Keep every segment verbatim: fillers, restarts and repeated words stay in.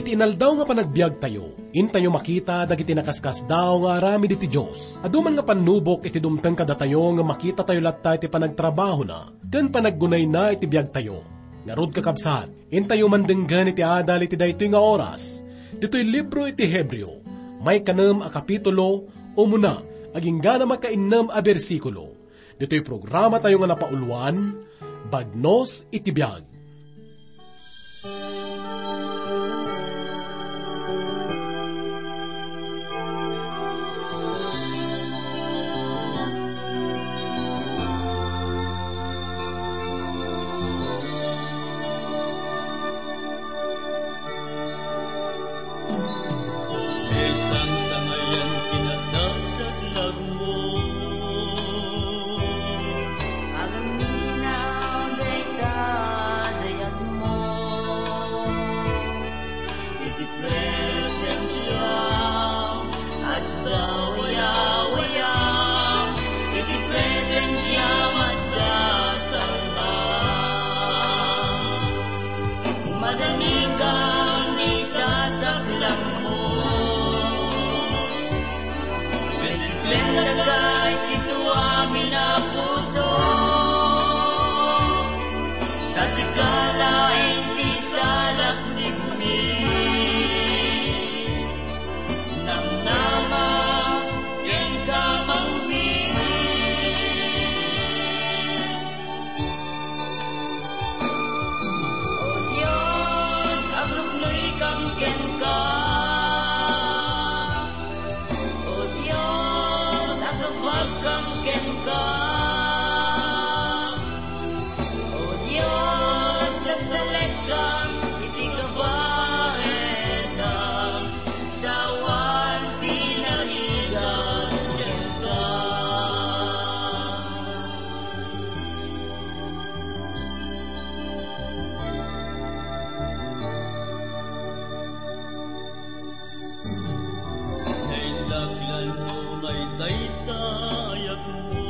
Inaldaw nga panagbiagtayo, intayo makita dagiti nakaskasdaaw nga aramid iti Dios. Adu man nga pannubok iti dumteng kadatayo nga makitatayo latta iti panagtrabahona ken panaggunayna iti biagtayo. Ngarud, kakabsat, intayo mandenggen iti adal iti daytoy nga oras. Ditoy libro iti Hebreo, maikanem a kapitulo, umuna, agingga na makainnem a bersikulo. Ditoy programatayo nga napauluan, Bagnos iti Biag. Sangsangayan kinadakdaklag mo. Agaminaw dayta dayag mo. Iti presensiam adda wayawayam. Iti presensiam adda talna. Madanikam dita saklangmo. Maitiklen daka iti suamin a puso. Ta sika laeng ti salaknibmi. Namnama kenka mangmi. O Dios, agruknoykam kenka. O Dios, agrubagkam kenka. O Dios, nagdalekkam iti kabaelam. Awan ti narigat kenka. Naindaklan mo ngay dayta ayat mo.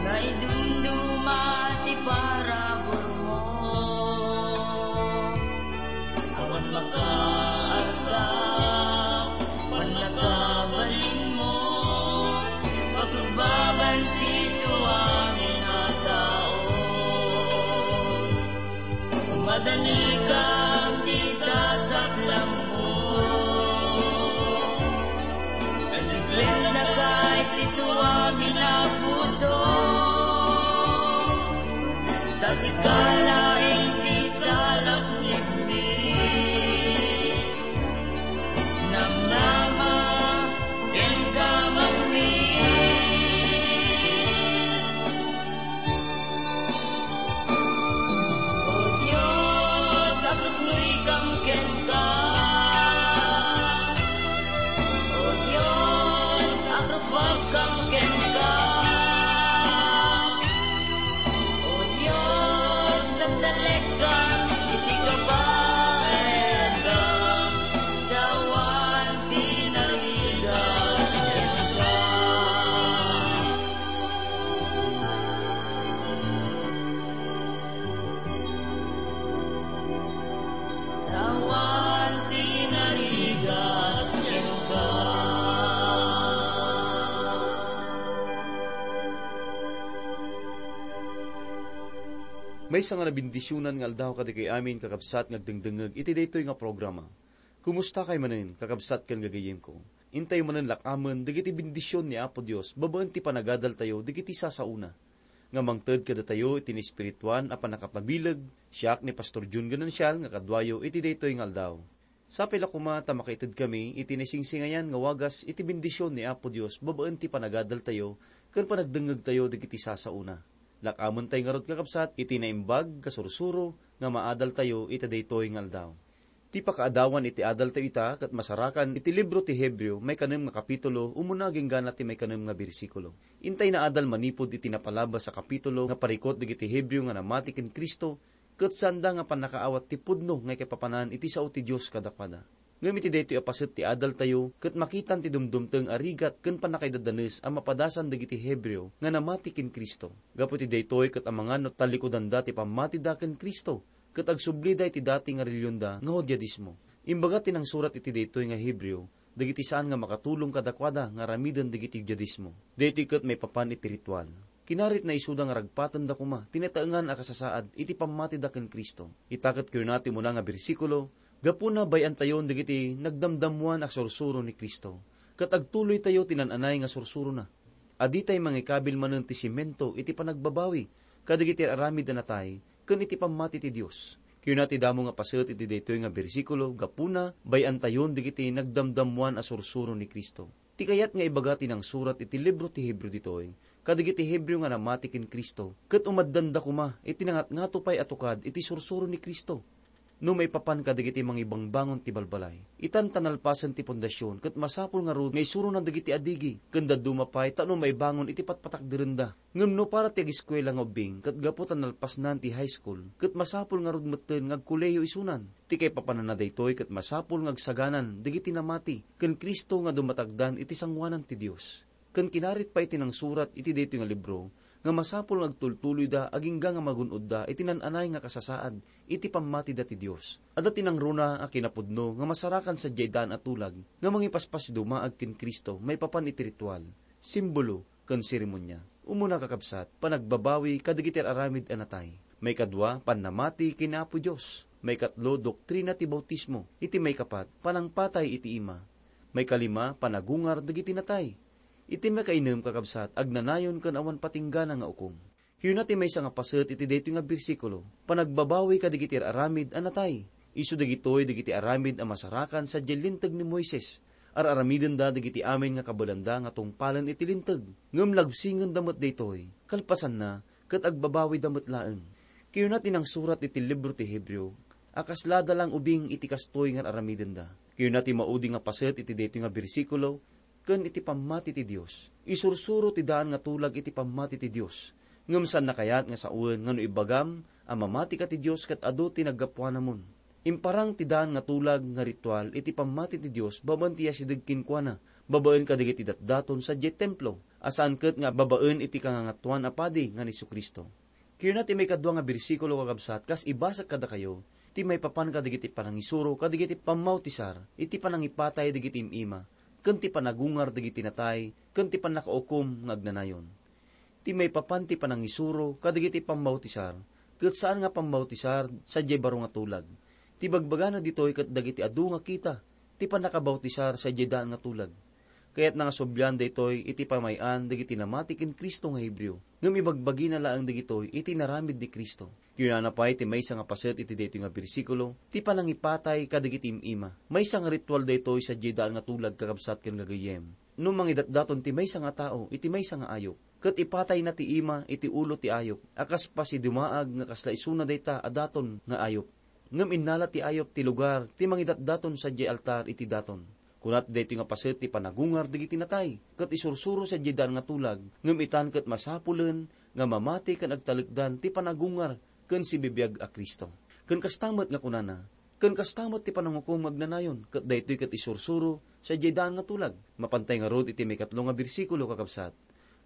Naidumduma ti parabur mo. Awan makaarta, pannakabalin mo, paglubaban ti suamin a tao. Madanikam dita saklangmo. Maitiklen daka iti suamin a puso. Ta sika laeng ti salaknibmi. Namnama kenka mangmi. O Dios, agruknoykam kenka. O Dios, agrubagkam kenka. O Dios, nagdalekkam iti kabaelam. Awan ti narigat kenka. Awan ti narigat kenka. Maysa nga nabendisionan nga aldaw kadagitoy amin, kakabsat, nga agdengdengngeg iti daytoy nga programa. Kumustakay manen, kakabsat ken gagayyemko? Intayo manen lak-amen dagiti bendision ni Apo Dios babaen ti panagadaltayo dagiti sasaona, nga mangted kadatayo iti naespirituan a pannakapabileg. Siak ni Pastor Jun Ganancial nga kaduayo iti daytoy nga aldaw. Sapay la koma ta makaitedkami iti naisingsingayan nga wagas iti bendision ni Apo Dios babaen ti panagadaltayo ken panagdengngegtayo dagiti sasaona. Lak-amentay ngarud, kakabsat, iti naimbag, kasursuro nga maadaltayo iti daytoy nga aldaw. Ti pakaadawan iti adaltayo ita ket masarakan iti libro ti Hebreo, maikanem nga kapitulo, umuna agingga na ti maikanem nga bersikulo. Intay naadal manipud iti napalabas a kapitulo nga parikut dagiti Hebreo nga namati ken Cristo, ket saanda nga pannakaawat ti pudno nga ikaipapanan iti sao ti Dios kadakuada. Ngem iti daytoy a paset ti adaltayo, ket makitan ti dumdumteng a rigat ken pannakaidadanes a mapadasan dagiti Hebreo nga namati ken Cristo. Gapu iti daytoy ket amangan no tallikudanda ti pammatida ken Cristo, ket agsublida iti dati nga reliyonda nga Judaismo. Imbaga ti nangsurat iti daytoy nga Hebreo dagiti saan nga makatulong kadakuada nga aramiden dagiti Judaismo. Daytoy ket maipapan iti ritual. Kinaritna isuda nga ragpatenda koma ti nataengan a kasasaad iti pammatida ken Cristo. Ita ket kinuna ti umuna nga bersikulo, gapuna bay-antayon dagiti nagdamdammoan a sursuro ni Cristo, ket agtuloytayo ti naan-anay nga sursurona. A ditay mangikabil manen ti semento iti panagbabawi kadagiti aramid a natay ken iti pammati ti Dios. Kinuna ti damo nga paset iti daytoy nga bersikulo, gapuna, bay-antayon dagiti nagdamdammoan a sursuro ni Cristo. Ti kayat nga ibaga ti nangsurat iti libro ti Hebreo ditoy, kadagiti Hebreo nga namati ken Cristo, ket umaddanda koma iti nangatngato pay a tukad iti sursuro ni Cristo. No maipapan kadagiti mangibangbangon ti balbalay, itan ta nalpasen ti pundasyon, ket masapul ngarud nga isuronan dagiti adigi, ken dadduma pay tapno maibangon iti patpatakderenda. Ngem no para ti ageskuela nga ubbing, ket gapu ta nalpasnan ti high school, ket masapul ngarud metten nga agkolehiyo isunan. Ti kaipapananna daytoy ket masapul nga agsaganan dagiti namati ken Cristo nga dumatagdan iti sangoanan ti Dios. Ken kinarit pay ti nangsurat iti daytoy nga libro nga masapul nga agtultuloyda agingga nga magun-odda iti naan-anay nga kasasaad iti pammatida ti Dios. Adda ti nangruna a kinapudno nga masarakan sadiay daan a tulag nga mangipaspas dumaag ken Cristo maipapan iti ritual, simbolo, ken seremonia. Umuna, kakabsat, panagbabawi kadagiti aramid a natay. Maikadua, pannamati ken Apo Dios. Maikatlo, doktrina ti bautismo. Iti maikapat, panangpatay iti ima. Maikalima, panagungar dagiti natay. Iti maikainem, kakabsat, agnanayon ken awan patinggana nga ukom. Kinuna ti maysa nga paset iti daytoy nga bersikulo, panagbabawi kadagiti aramid a natay. Isu dagitoy dagiti aramid a masarakan sadiay Linteg ni Moises. Ar-aramidenda dagiti amin nga kabaelanda nga tungpalen iti Linteg. Ngem labsingenda met daytoy. Kalpasanna, ket agbabawida met laeng. Kinuna ti nangsurat iti libro ti Hebreo a kaslada lang ubing iti kastoy nga ar-aramidenda. Kinuna ti maudi nga paset iti daytoy nga bersikulo ken iti pammati ti Dios. Isursuro ti daan nga tulag iti pammati ti Dios. Ngem saanna kayat nga sawen nga no ibagam a mamatika ti Dios ket adu ti naggapuanamon. Imparang ti daan nga tulag nga ritual iti pammati ti Dios babaen ti asideg kenkuana, babaen kadagiti datdaton sadiay templo, a saan ket nga babaen iti Kangangatoan a Padi nga ni Jesu-Cristo. Kinuna ti maikadua nga bersikulo, kakabsat, kas ibasek kadakayo, ti maipapan kadagiti panangisuro kadagiti pammautisar iti panangipatay dagiti im-ima, ken ti panagungar dagiti natay, ken ti pannakaukom nga agnanayon. Ti maipapan ti panangisuro kadagiti pammautisar, ket saan nga pammautisar sadiay baro nga tulag. Ti bagbagana ditoy ket dagiti adu nga kita ti pannakabautisar sadiay daan nga tulag. Kayatna nga sublian daytoy iti pamay-an dagiti namati ken Cristo nga Hebreo, ngem ibagbagina laeng dagitoy iti inaramid ni Cristo. Kinunana pay ti maysa nga paset iti daytoy nga bersikulo, ti panangipatay kadagiti im-ima. Maysa nga ritual daytoy sadiay daan nga tulag, kakabsat ken gagayyem. No mangidatdaton ti maysa nga tao iti maysa nga ayup, ket ipatayna ti ima iti ulo ti ayup, a kas pasidumaag nga kasla isuna dayta a daton nga ayup. Ngem innala ti ayup ti lugar ti mangidatdaton sadiay altar iti daton. Kuna ti daytoy nga paset ti panagungar dagiti natay, ket isursuro sadiay daan nga tulag, ngem itan ket masapulen nga mamati ken agtalekdan ti panagungar ken sibibiag a Cristo. Ken kasta met nga kunana, ken kasta met ti panangukom nga agnanayon, ket daytoy ket isursuro sadiay daan nga tulag. Mapantay ngarud iti maikatlo nga bersikulo, kakabsat.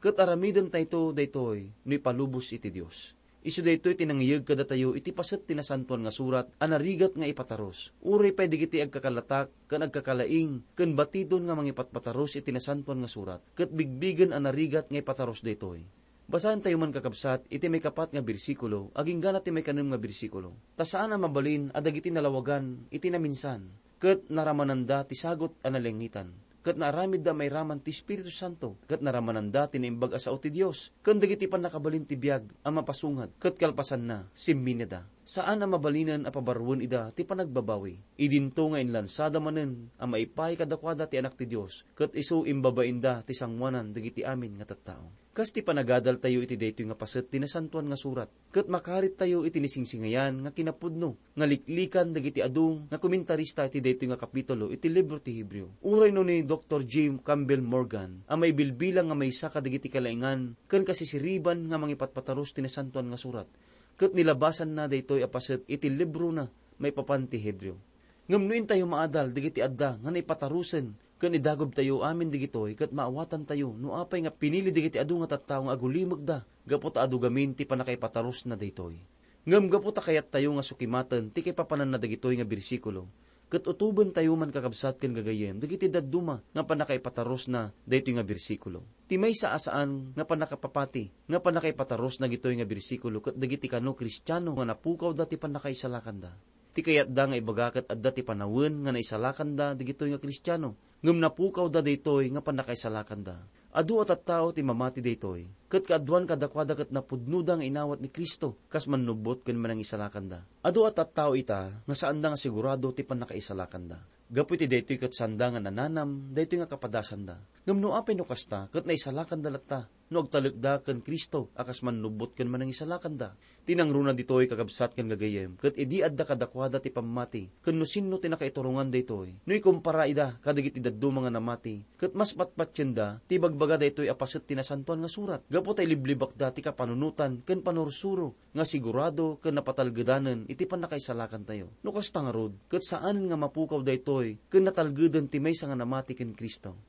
Ket aramidentayto daytoy no ipalubos iti Dios. Isu daytoy ti nangiyeg kadatayo iti paset ti Nasantoan nga Surat a narigat nga ipatarus. Uray pay dagiti agkakalatak ken agkakalaing ken batidon nga mangipatpatarus iti Nasantoan nga Surat, ket bigbigen a narigat nga ipatarus daytoy. Basaentayo man, kakabsat, iti maikapat nga bersikulo agingga na ti maikanem nga bersikulo. Ta saan a mabalin a dagiti nalawagan iti naminsan, ket naramananda ti sagut a nalengetan, ket naaramidda a mairaman ti Espiritu Santo, ket naramananda ti Naimbag a Sao ti Dios, ken dagiti pannakabalin ti biag a mapasungad, ket kalpasanna, simmineda. Saan a mabalinen a pabaruen ida ti panagbabawi. Idinto nga inlansada manen a maipaay kadakuada ti Anak ti Dios, ket isu imbabainda ti sangoanan dagiti amin nga tattao. Kas ti panagadaltayo iti daytoy nga paset ti Nasantoan nga Surat, ket makarittayo iti nisingsingayan nga kinapudno nga liklikan dagiti adu nga komentarista iti daytoy nga kapitulo iti libro ti Hebreo. Uray no ni Doktor Jim Campbell Morgan a maibilbilang nga maysa kadagiti kalaingan ken kasisiriban nga mangipatpatarus ti Nasantoan nga Surat, ket nilabasanna daytoy a paset iti librona maipapan ti Hebreo. Ngem no intayo maadal dagiti adda nga naipatarusen ken idagubtayo amin dagitoy, ket maawatantayo no apay nga pinili dagiti adu nga tattao nga agulimekda gapu ta adu gamin ti pannakaipatarusna daytoy. Ngem gapu ta kayattayo nga sukimaten ti kaipapananna dagitoy nga bersikulo, ket utobentayo man, kakabsat ken gagayyem, dagiti dadduma nga pannakaipatarusna daytoy nga bersikulo. Ti maysa a saan nga pannakapapati nga pannakaipatarusna ditoy nga bersikulo ket dagiti kano Kristiano nga napukawda ti pannakaisalakanda. Ti kayatda nga ibaga ket adda ti panawen nga naisalakanda dagitoy nga Kristiano, ngem napukawda daytoy nga pannakaisalakanda. Adu a tattao ti mamati daytoy, ket kaaduan kadakuada ket napudnoda nga inawat ni Cristo kas mannubbot ken manangisalakanda. Adu a tattao ita nga saanda nga sigurado ti pannakaisalakanda. Gapu iti daytoy ket saanda nga nananam daytoy nga kapadasanda. Ngem no apay no kasta, ket naisalakanda latta no agtalekda ken Cristo a kas mannubbot ken manangisalakanda. Ti nangruna ditoy, kakabsat ken gagayyem, ket idi adda kadakuada ti pammati, ken no sinno ti nakaiturongan daytoy, no ikumpara ida kadagiti dadduma nga namati, ket mas patpatienda ti ibagbaga daytoy a paset ti Nasantoan nga Surat, gapu ta iliblibakda ti kapanunotan ken panursuro nga sigurado ken napatalgedanen iti pannakaisalakantayo. No kasta ngarud, ket saanen nga mapukaw daytoy ken natalgeden ti maysa nga namati ken Cristo.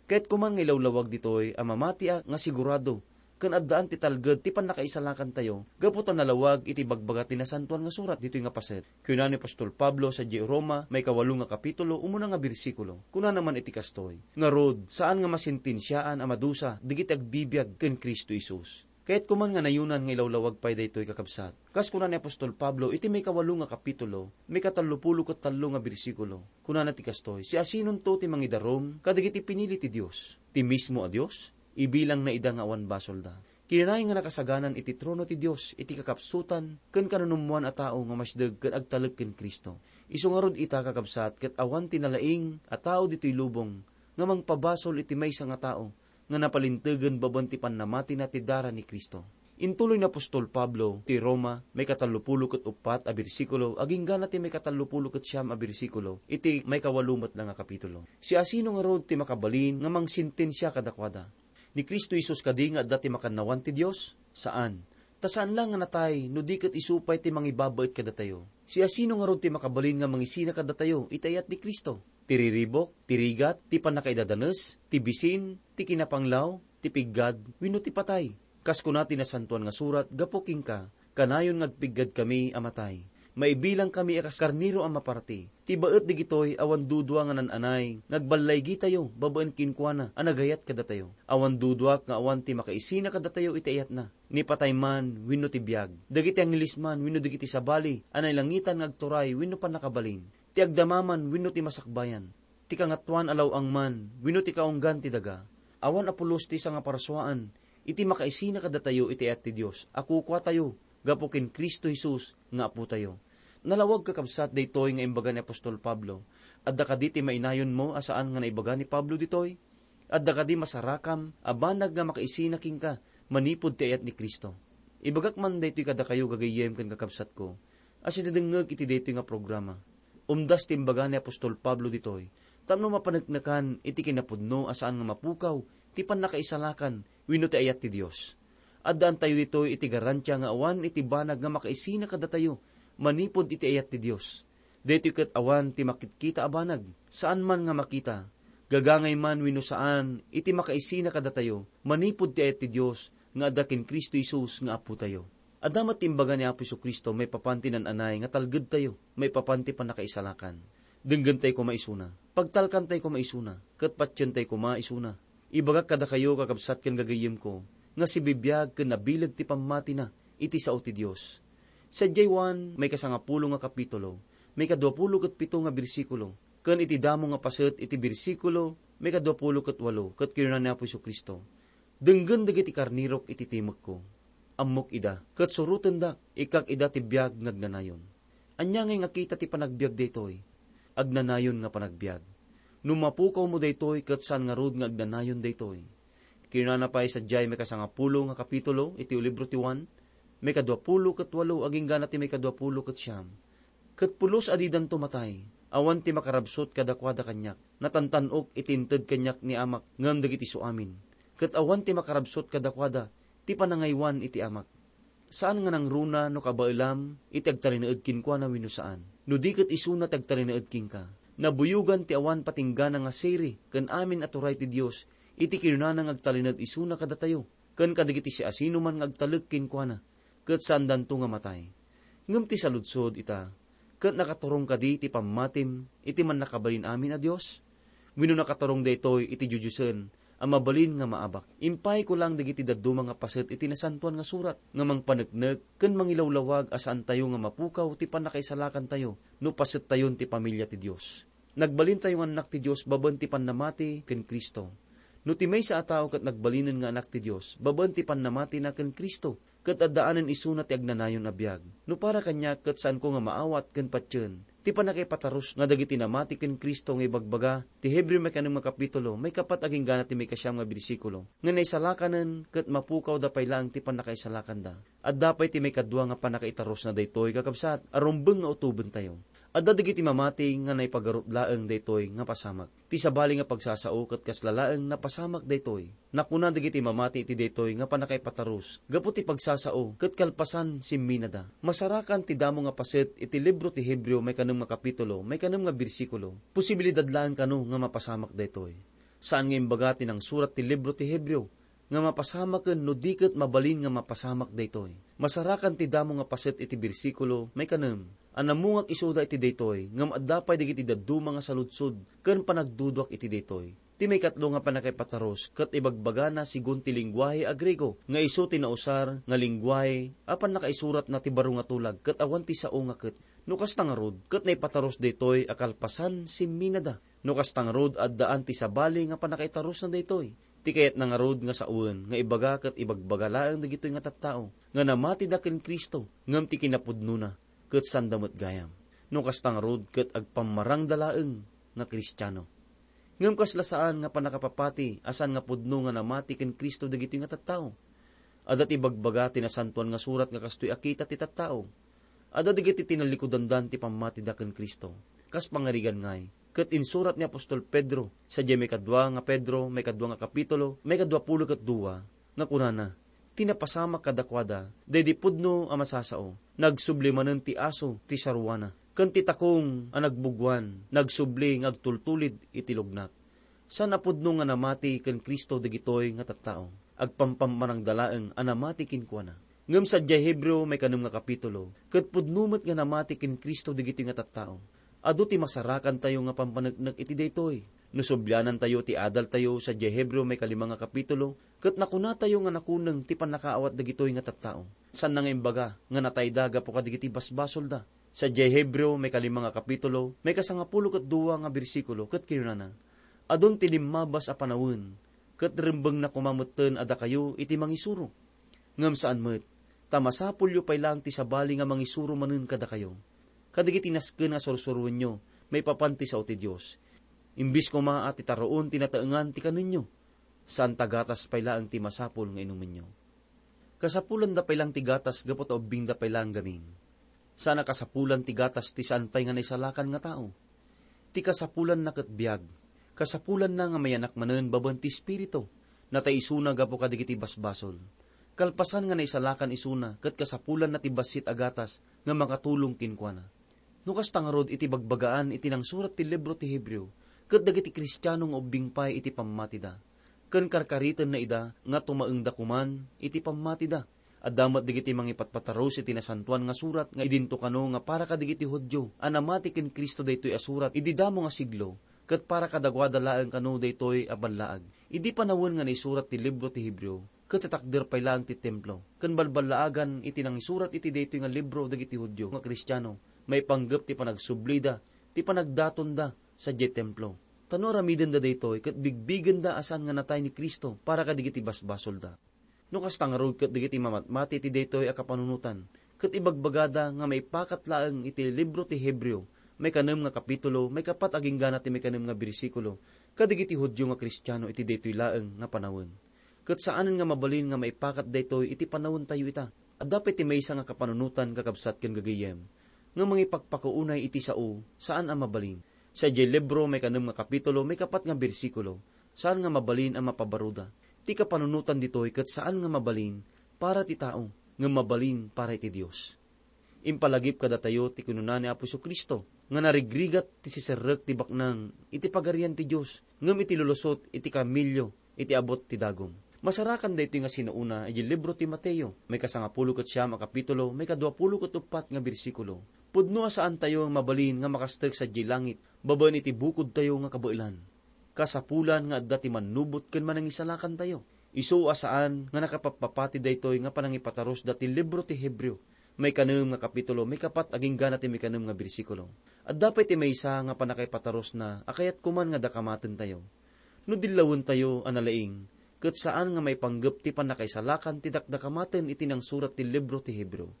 Kayatko man nga ilawlawag ditoy a mamatiak nga sigurado ken addaan ti talged ti pannakaisalakantayo gapu ta nalawag iti bagbaga ti Nasantoan nga Surat ditoy nga paset. Kuna ni apostol Pablo sadiay Roma, maikawalo nga kapitulo, umuna nga bersikulo. Kunana man iti kastoy, ngarud, saan nga masentensiaan a madusa dagiti agbibiag ken Cristo Jesus. Kayatko man nga nayonan nga ilawlawag pay daytoy, kakabsat. Kas kuna ni apostol Pablo iti maikawalo nga kapitulo, maikatallopulo ket tallo nga bersikulo, kunana ti kastoy, siasinonto ti mangidarum kadagiti pinili ti Dios? Ti mismo a Dios? Ibilangna ida nga awan basolda. Kinunana nga nakasaganan iti trono ti Dios iti kakapsutan ken kanunummoan a tao nga masdeg ken agtalek ken Cristo. Isu ngarud ita, kakabsat, ket awan ti nalaing a tao ditoy lubong nga mangpabasol iti maysa nga tao nga napalintegen babaen ti pannamatina ti dara ni Cristo. Intuloy ni apostol Pablo ti Roma, maikatallopulo ket uppat a bersikulo, agingga na ti maikatallopulo ket siam a bersikulo, iti maikawalo met la nga kapitulo. Siasino ngarud ti makabalin nga mangsentensia kadakuada? Ni Cristo Jesus kadi nga adda ti makannawan ti Dios? Saan. Ta saan la nga natay no di ket isu pay ti mangibabaet kadatayo. Siasino ngarud ti makabalin nga mangisina kadatayo iti ayat ni Cristo? Ti riribuk, ti rigat, ti pannakaidadanes, ti bisin, ti kinapanglaw, ti piggad, wenno ti patay? Kas kuna ti Nasantoan nga Surat gapu kenka, kanayon nga agpiggadkami a matay. Maibilangkami a kas karnero a maparti. Ti baet dagitoy awan dudua nga nan-anay nga agballaygitayo babaen kenkuana a nagayat kadatayo. Awan duduak nga awan ti makaisina kadatayo iti ayatna. Ni patay man wenno ti biag, dagiti angheles man wenno dagiti sabali a nailangitan nga agturay wenno pannakabalin, ti agdama man wenno ti masakbayan, ti kangatoan a law-ang man wenno ti kaunggan ti daga, awan a pulos ti sangaparsuaan iti makaisina kadatayo iti ayat ti Dios a kukuatayo gapu ken Cristo Jesus nga Apotayo. Nalawag, kakabsat, daytoy nga imbaga ni apostol Pablo. Adda kadi ti mainayonmo a saan nga naibaga ni Pablo ditoy? Adda kadi masarakam a banag nga makaisina kenka manipud ti ayat ni Cristo? Ibagak man daytoy kadakayo, gagayyem ken kakabsatko, a sidadengngeg iti daytoy nga programa. Umdas ti imbaga ni apostol Pablo ditoy tapno mapaneknekan iti kinapudno a saan nga mapukaw ti pannakaisalakan wenno ti ayat ti Dios. Addaantayo ditoy iti garantia nga awan iti banag nga makaisina kadatayo manipud iti ayat ti Dios. Daytoy ket awan ti makitkita a banag, saan man nga makita, gagangay man wenno saan, iti makaisina kadatayo manipud ti ayat ti Dios nga adda ken Cristo Jesus nga Apotayo. Adda met ti imbaga ni Apo Jesu-Cristo maipapan ti nan-anay nga talgedtayo maipapan ti pannakaisalakan. Denggentay koma isuna, pagtalkantay koma isuna, ket patientay koma isuna. Ibagak kadakayo, kakabsat ken gagayyemko, nga sibibiag ken nabileg ti pammatina iti sao ti Dios. Sadiay Juan, maikasangapulo nga kapitulo, maikaduapulo ket pito nga bersikulo, ken iti damo nga paset iti bersikulo maikaduapulo ket walo, ket kinuna ni Apo Jesu-Cristo, "Denggen dagiti karnerok iti timekko. Ammok ida, ket surotendak, ikkak ida ti biag nga agnanayon." Ania ngay nga kita ti panagbiag daytoy? Agnanayon nga panagbiag. No mapukawmo daytoy, ket saan ngarud nga agnanayon daytoy. Kinunana pay sadiay maikasangapulo nga kapitulo iti libro ti Juan, maikaduapulo ket walo agingga na ti maikaduapulo ket siam. Ket pulos a didanto matay, awan ti makarabsut kadakuada kaniak. Natantan-ok iti inted kaniak ni Amak ngem dagiti isuamin. Ket awan ti makarabsut kadakuada ti panangaywan iti Amak. Saan nga nangruna no kabaelam iti agtalinaed kenkuana wenno saan. No di ket isuna ti agtalinaed kenka, nabuyogan ti awan patinggana nga siri ken amin a turay ti Dios iti kinunana nga agtalinaed isuna kadatayo ken kadagiti siasinoman nga agtalek kenkuana, ket saandanto nga matay. Ngem ti saludsod ita, ket nakaturong kadi ti pammatim iti mannakabalin amin a Dios? Wenno nakaturong daytoy iti diodiosen a mabalin nga maabak? Impayko lang dagiti dadduma nga paset iti Nasantoan nga Surat nga mangpaneknek ken mangilawlawag a saantayo nga mapukaw ti pannakaisalakantayo no pasettayon ti pamilia ti Dios. Nagbalintayo nga annak ti Dios babaen ti pannamati ken Cristo. No ti maysa a tao ket nagbalinen nga anak ti Dios babaen ti pannamatina ken Cristo, ket addaanen isuna ti agnanayon a biag. No para kaniak, ket saanko nga maawat ken patien ti pannakaipatarus nga dagiti namati ken Cristo nga ibagbaga ti Hebreo maikanem nga kapitulo, maikapat agingga ti maikasiam nga bersikulo, nga naisalakanen ket mapukawda pay laeng ti pannakaisalakanda. Adda pay ti maikadua nga pannakaitarusna daytoy, kakabsat, a rumbeng nga utobentayo. Adda dagiti mamati nga naipagarut laeng daytoy nga pasamak. Ti sabali nga pagsasao ket kasla laeng napasamak daytoy. Nakuna dagiti mamati iti daytoy nga pannakaipatarus gapu ti pagsasao ket kalpasan simminada. Masarakan ti damo nga paset iti libro ti Hebreo maikanem nga kapitulo, maikanem nga bersikulo. Posibilidad laeng kano nga mapasamak daytoy. Saan nga imbaga ti nangsurat ti libro ti Hebreo nga mapasamaken no di ket mabalin nga mapasamak daytoy. Masarakan ti damo nga paset iti bersikulo maikanem a namungak isuda iti daytoy, ngem adda pay dagiti dadduma nga saludsod ken panagduduak iti daytoy. Ti maikatlo nga pannakaipatarus ket ibagbagana segun ti lenguahe a Griego nga isu ti nausar nga lenguahe a pannakaisuratna ti baro nga tulag ket awan ti sao nga ket. No kasta ngarud, ket naipatarus daytoy a kalpasan simminada. No kasta ngarud, addaan ti sabali nga pannakaitarusna daytoy. Ti kayatna ngarud nga sawen nga ibaga ket ibagbaga laeng dagitoy nga tattao nga namatida ken Cristo ngem ti kinapudnona ket sanda met gayam. No kasta ngarud, ket agpammarangda laeng nga Kristiano. Ngem kasla saan nga pannakapapati a saan nga pudno nga namati ken Cristo dagitoy nga tattao. Adda ti ibagbaga ti Nasantoan nga Surat nga kastoy a kita ti tattao. Adda dagiti tinallikudandan ti pammatida ken Cristo. Kas pangarigan ngay, ket insurat ni apostol Pedro, sadiay maikadua nga Pedro, maikadua nga kapitulo, maikadua pulo ket dua, nga kunana, "Ti napasamak kadakuada, daydi pudno a masasao, nagsubli manen ti aso ti saruana, ken ti takong a nagbuguan, nagsubli nga agtultulid iti lugnak." Saan a pudno nga namati ken Cristo dagitoy nga tattao. Agpampammarangda laeng a namati kenkuana. Ngem sadiay Hebreo maikanem nga kapitulo, ket pudno met nga namati ken Cristo dagitoy nga tattao. Adu ti masarakantayo nga pampaneknek iti daytoy. No sublianantayo ti adaltayo sadiay Hebreo maikalima nga kapitulo, ket nakunatayo nga nakuneng ti pannakaawat dagitoy nga tattao. Saanna nga imbaga nga natayda gapu kadagiti basbasolda. Sadiay Hebreo, maikalima nga kapitulo, maikasangapulo ket dua nga bersikulo, ket kinunana, "Adun ti limmabas a panawen, ket rembengna koma metten a dakayo iti mangisuro. Ngem saan met, ta masapulyo pay laeng ti sabali nga mangisuro manen kadakayo. Kadagiti nasken a sursuroenyo maipapan ti sao ti Dios. Imbes koma a ti taruon ti nataengan ti kanenyo, saan ta gatas pay laeng ti masapul nga inumenyo." Kasapulanda pay laeng ti gatas gapu ta ubbingda pay laeng gamin. Saan a kasapulan ti gatas ti saan pay nga naisalakan nga tao. Ti kasapulanna ket biag. Kasapulanna nga mayanak manen babaen ti Espiritu. Natay isuna gapu kadagiti basbasol. Kalpasan nga naisalakan isuna ket kasapulanna ti bassit a gatas nga makatulong kenkuana. No kasta ngarud iti bagbagaan iti nangsurat ti libro ti Hebreo, ket dagiti Kristiano nga ubbing pay iti pammatida, ken karkaritenna ida nga tumaengda koman iti pammatida. Adda met dagiti mangipatpatarus iti Nasantoan nga Surat nga idinto kano nga para kadagiti Judio a namati ken Cristo daytoy a surat idi damo nga siglo, ket para kadaguada laeng kano daytoy a ballaag. Idi panawen nga naisurat ti libro ti Hebreo, ket tatakder pay laeng ti templo, ken balballaagan iti nangisurat iti daytoy nga libro dagiti Judio nga Kristiano, maipanggep ti panagsublida, ti panagdatonda sadiay templo. Ta no aramidenda daytoy, ket bigbigenda a saan nga natay ni Cristo para kadagiti basbasolda. No kasta ngarud ket dagiti mamatmati iti daytoy a kapanunotan, ket ibagbagada nga maipakat laeng iti libro ti Hebreo, maikanem nga kapitulo, maikapat agingga ti maikanem nga bersikulo, kadagiti Judio nga Kristiano iti daytoy laeng nga panawen. Ket saanen nga mabalin nga maipakat daytoy iti panawentayo ita. Adda pay ti maysa nga kapanunotan, kakabsat ken gagayyem, nga mangipakpakaunay iti sao, saan a mabalin. Sadiay libro, maikanem nga kapitulo, maikapat nga bersikulo, saan nga mabalin a mapabaruda. Ti kapanunotan ditoy ket saan nga mabalin para ti tao, ngem mabalin para iti Dios. Impalagip kadatayo ti kinuna ni Apo Jesu-Cristo nga narigrigat ti siserrek ti baknang iti Pagarian ti Dios, ngem iti lulusot iti kamelio iti abut ti dagum. Masarakan daytoy nga sinaona idiay libro ti Mateo, maikasangapulo ket siam a kapitulo, maikaduapulo ket uppat nga bersikulo. Pudno a saantayo mabalin nga makastek sadiay langit babaen iti bukodtayo nga kabaelan. Kasapulan nga adda ti mannubot ken manangisalakantayo. Isu a saan nga nakapappapati daytoy nga panangipatarusda ti libro ti Hebreo, maikanem nga kapitulo, maikapat agingga na ti maikanem nga bersikulo. Adda pay ti maysa nga pannakaipatarusna a kayat koman nga dakamataentayo. No dillawentayo a nalaing, ket saan nga maipanggep ti pannakaisalakan ti dakdakamaten iti nangsurat ti libro ti Hebreo.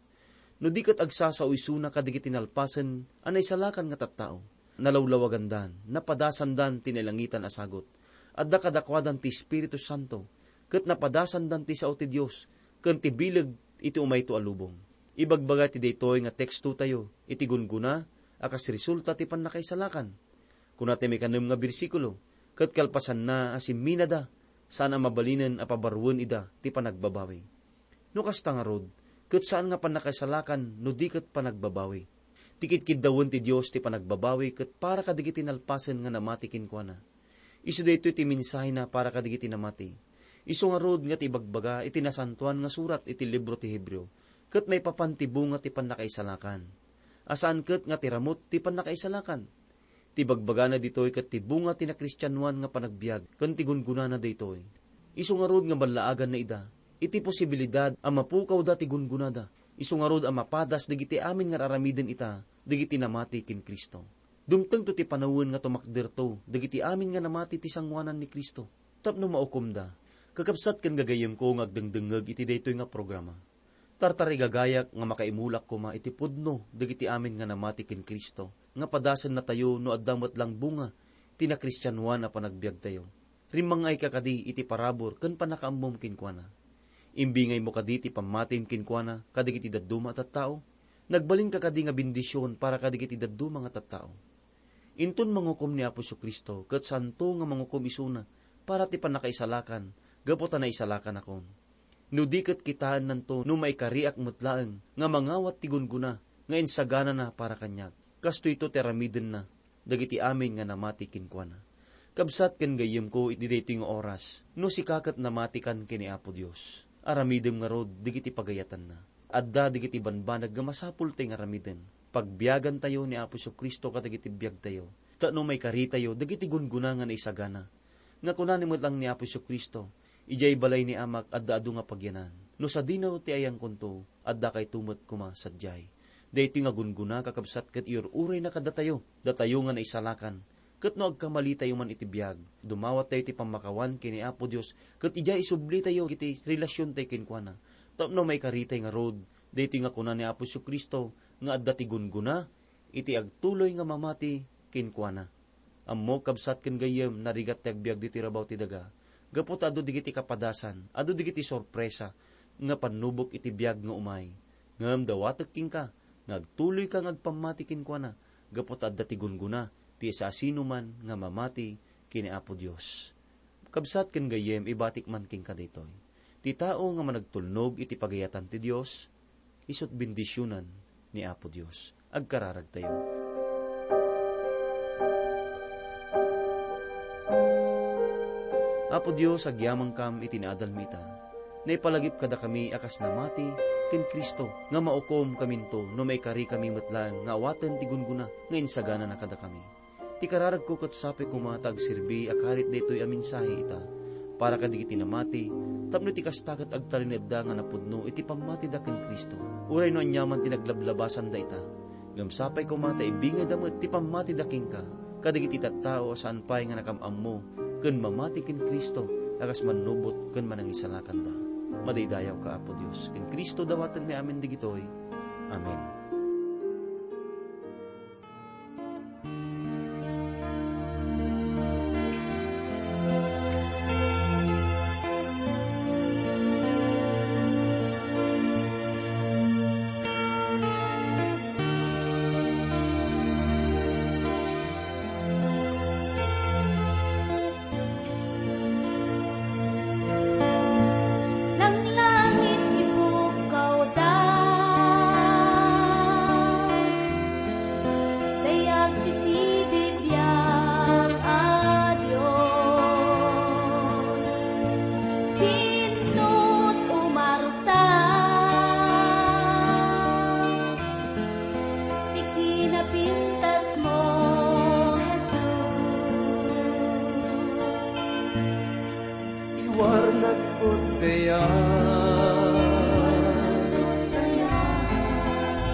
No di ket agsasao isuna kadagiti nalpasen a naisalakan nga tattao, nalawlawagandan, napadasandan ti nailangitan a sagut. Adda kadakuadan ti Espiritu Santo, ket napadasandan ti sao ti Dios ken ti bileg iti umayto a lubong. Ibagbaga ti daytoy nga tekstotayo iti gunggona a kas resulta ti pannakaisalakan. Kuna ti maikanem nga bersikulo, ket kalpasanna a simminada, saan a mabalinen a pabaruen ida ti panagbabawi. No kasta ngarud, ket saan nga pannakaisalakan no di ket panagbabawi. Ti kitkiddawen ti Dios ti panagbabawi ket para kadagiti nalpasen nga namati kenkuana. Isu daytoy ti mensahena para kadagiti namati. Isu ngarud nga ti ibagbaga iti Nasantoan nga Surat iti libro ti Hebreo, ket maipapan ti bunga ti pannakaisalakan. A saan ket nga ti ramut ti pannakaisalakan. Ti bagbagana ditoy ket ti bunga ti nakristianoan nga panagbiag ken ti gungonana daytoy. Isu ngarud nga ballaaganna ida iti posibilidad a mapukawda ti gungonada. Isu ngarud a mapadas dagiti amin nga ar-aramiden ita dagiti namati ken Cristo. Dumtengto ti panawen nga tumakderto dagiti amin nga namati ti sangoanan ni Cristo tapno maukomda. Kakabsat ken gagayyemko nga agdengdengngeg iti daytoy nga programa. Tartarigagayak nga makaimulak koma iti pudno dagiti amin nga namati ken Cristo, nga padasennatayo no adda met lang bunga ti nakristianoan a panagbiagtayo. Rimmang-ayka kadi iti parabur ken pannakaammom kenkuana. Imbingaymo kadi ti pammatim kenkuana kadagiti dadduma a tattao. Nagbalinka kadi nga bendision para kadagiti dadduma nga tattao. Inton mangukom ni Apo Jesu-Cristo, ket saanto nga mangukom isuna para ti pannakaisalakan gapu ta naisalakanakon. No di ket kitaennanto no maikariak met laeng nga mangawat ti gunggona nga insaganana para kaniak. Kastoyto ti aramidenna dagiti amin nga namati kenkuana. Kabsat ken gayyemko iti daytoy nga oras, no sika ket namatikan ken ni Apo Dios, aramidem ngarud dagiti pagayatanna. Adda dagiti banbanag nga masapultayo nga aramiden. Pagbiagantayo ni Apo Jesu-Cristo kadagiti biagtayo, tapno maikaritayo dagiti gunggona nga naisagana. Nga kunana met lang ni Apo Jesu-Cristo, "Idiay balay ni Amak adda adu nga pagyanan. No sadino ti ayangkonto, addakayto met koma sadiay." Daytoy nga gunggona, kakabsat, ket iur-urayna kadatayo, datayo nga naisalakan. Ket no agkamalitayo man iti biag, dumawattayo ti pammakawan ken ni Apo Dios, ket idiay isublitayo iti relasiontayo kenkuana. Tapno maikaritay ngarud, daytoy nga kuna ni Apo Jesu-Cristo nga adda ti gunggona iti agtuloy nga mamati kenkuana. Ammok, kabsat ken gayyem, narigat ti agbiag ditoy rabaw ti daga, gapu ta adu dagiti kapadasan, adu dagiti sorpresa nga pannubok iti biag nga umay. Ngem dawatek kenka nga agtuloyka nga agpammati kenkuana, gapu ta adda ti gunggona ti siasinoman nga mamati ken ni Apo Dios. Kabsat ken gayyem, ibatik man kenka daytoy. Ti tao nga managtulnog iti pagayatan ti Dios, isu't bendisionan ni Apo Dios. Agkararagtayo. Apo Dios, agyamankam iti naadalmi ita. Naipalagip kadakami a kas namati ken Cristo, nga maukomkaminto no maikarikami met laeng nga awaten ti gunggona nga insaganana kadakami. Ti kararagko ket sapay koma ta agserbi a karit daytoy a mensahe ita para kadagiti namati, tapno iti kasta ket agtalinedda nga napudno iti pammatida ken Cristo. Uray no aniaman ti naglablabasanda ita, ngem sapay koma ta ibingayda met ti pammatida kenka kadagiti tattao a saan pay nga nakam-ammo ken mamati ken Cristo a kas mannubot ken manangisalakanda. Madaydayawka, Apo Dios, ken Cristo dawatenmi amin dagitoy. Amen. Langlangit ipukawda, Kuddeyan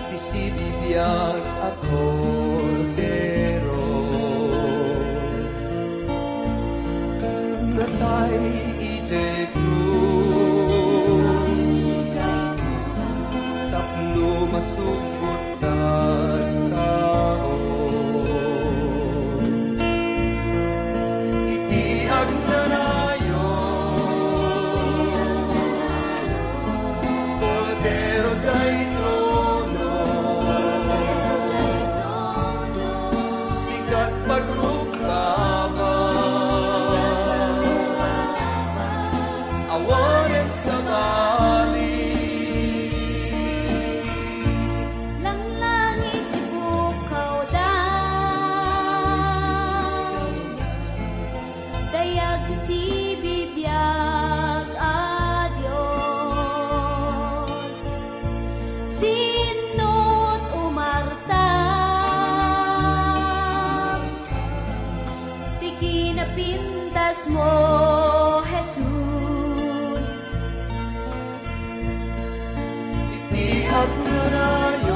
ti sibibiag a Kordero. Natay idiay krus tapno masubot tattao. Iti agnanayon, Kordero diay trono, sikat pagrukbaba, awanen sabali. Langlangit ti pukawda, dayag sibibiag a Dios. Sinno ti umarta ti kinapintasmo, Jesus. Iti agnanayon,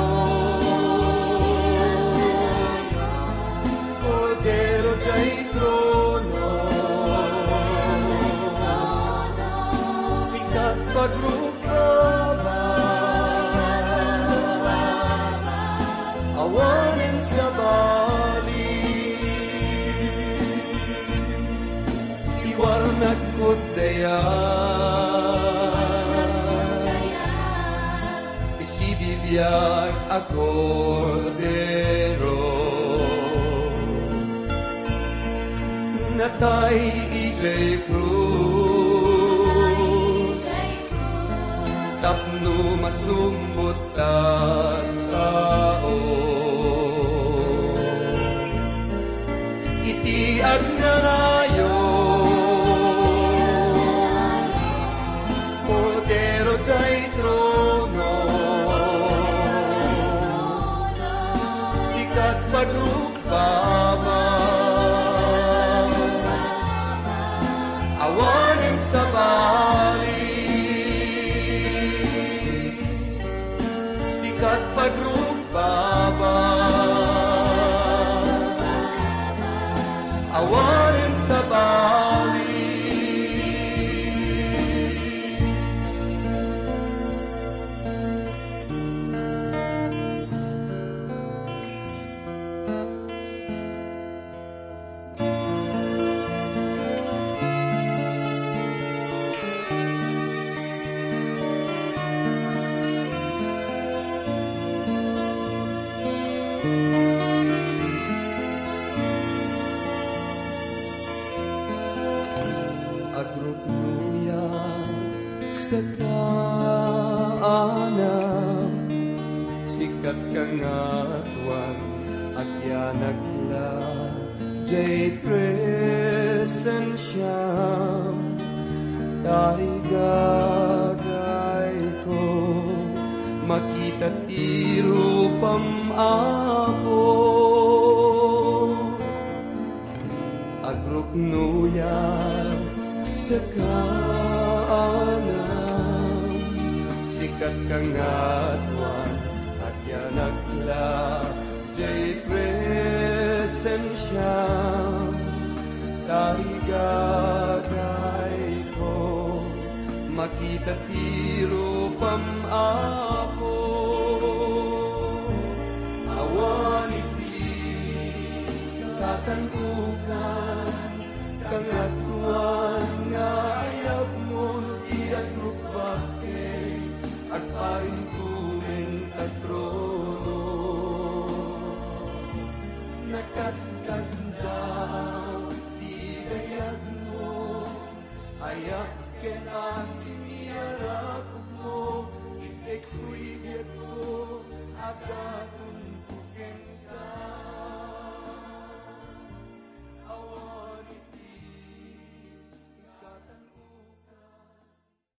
Kordero diay trono, sikat pagrukbaba, awanen sabali. Iwarnak kuddeyan ti sibibiag a Kordero, natay idiay krus tapno masumbot tattao. Iti agnanayon, Kordero diay trono, sikat pagrukbaba, awanen sabali. Sikat pagrukbaba, awanen sabali. Agruknoyak sika, anam, sikat kangatoan, agyanak la diay presensiam, tarigagayko, makita ti rupam, Apo. Agruknoyak sika, anam, sikat kangatoan, agyanak la diay presensiam, tarigagayko, makita ti rupam, Apo. Awan iti katandukan, kangatoan nga ayabmo no di agrukbabka, agparinko ita trono. Nakaskasdaaw ti dayagmo, ayak ken asim ti arakupmo, itedko ti biagko, adda